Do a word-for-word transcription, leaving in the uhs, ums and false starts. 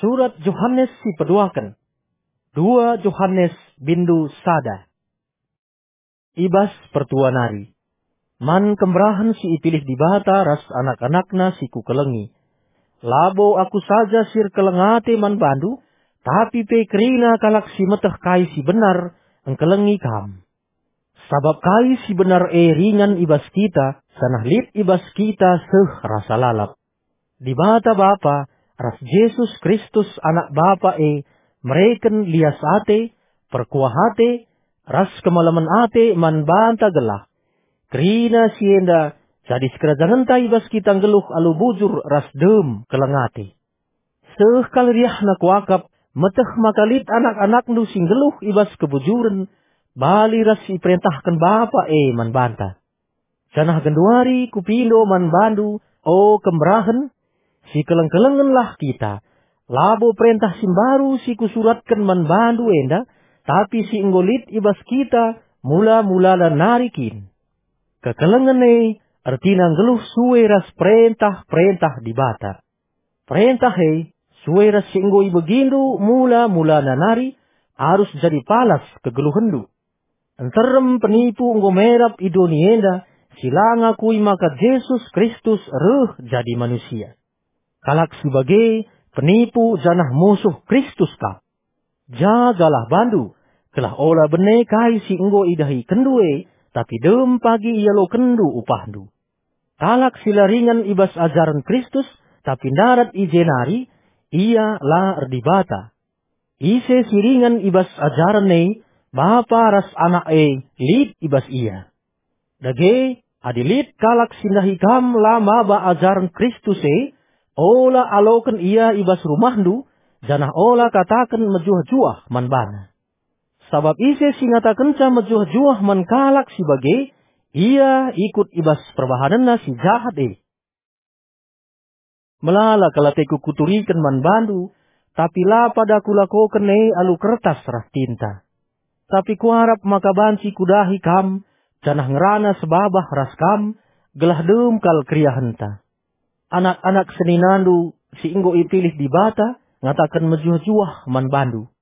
Surat Johanes si peduaken. Dua Johanes bindu sada. I bas pertua nari. Man kemberahen si ipilih Dibata ras anak-anakNa si kukelengi. Labo aku saja si erkeleng ate man bandu, tapi pe kerina kalak si meteh kai si benar engkelengi kam. Sabap kai si benar e ringan i bas kita, janah lit i bas kita seh rasa lalap. Dibata Bapa ras Jesus Kristus Anak Bapa e mereken lias ate, perkuah ate, ras kemalemen ate man banta gelah kerina si enda jadi sikerajangenta i bas kita nggeluh alu bujur ras dem keleng ate. Seh kal riahna kuakap, meteh maka lit anak-anakndu si nggeluh i bas kebujuren, bali ras si iperentahken Bapa e man banta. Janah genduari kupindo man bandu, o kemberahen, sikeleng-kelengenlah kita, labo perentah si mbaru si kusuratken man bandu enda, tapi si enggo lit i bas kita mula-mulana nari kin. Kekelengen e ertina nggeluh sue ras perentah-perentah Dibata. Perentah e, sue ras si enggo ibegindu mula-mulana nari, arus jadi palas kegeluhenndu. Nterem penipu enggo merap i doni enda, si la ngakui maka Jesus Kristus reh jadi manusia. Kalak si bage penipu janah musuh Kristus kap. Jagalah bandu, gelah ola bene kai si enggo idahikenndu e, tapi dem pagi ialokenndu upahndu. Kalak si la ringan i bas ajaren Kristus, tapi ndarat i je nari, ia la erdibata. Ise si ringan i bas ajaren e, Bapa ras Anak e lit i bas ia. Dage, adi lit kalak si ndahi kam la maba ajaren Kristus e, ola aloken ia i bas rumahndu, janah ola kataken mejuah-juah man bana. Sabap ise si ngatakenca mejuah-juah man kalak si bage, ia ikut i bas perbahanenna si jahat e. Melala kal ateku kuturiken man bandu, tapi la pada kulakoken e alu kertas ras tinta. Tapi kuarap maka banci kudahi kam, janah ngerana sebabah ras kam, gelah dem kal keriahenta. Anak-anak seninandu si enggo ipilih Dibata ngataken mejuah-juah man bandu.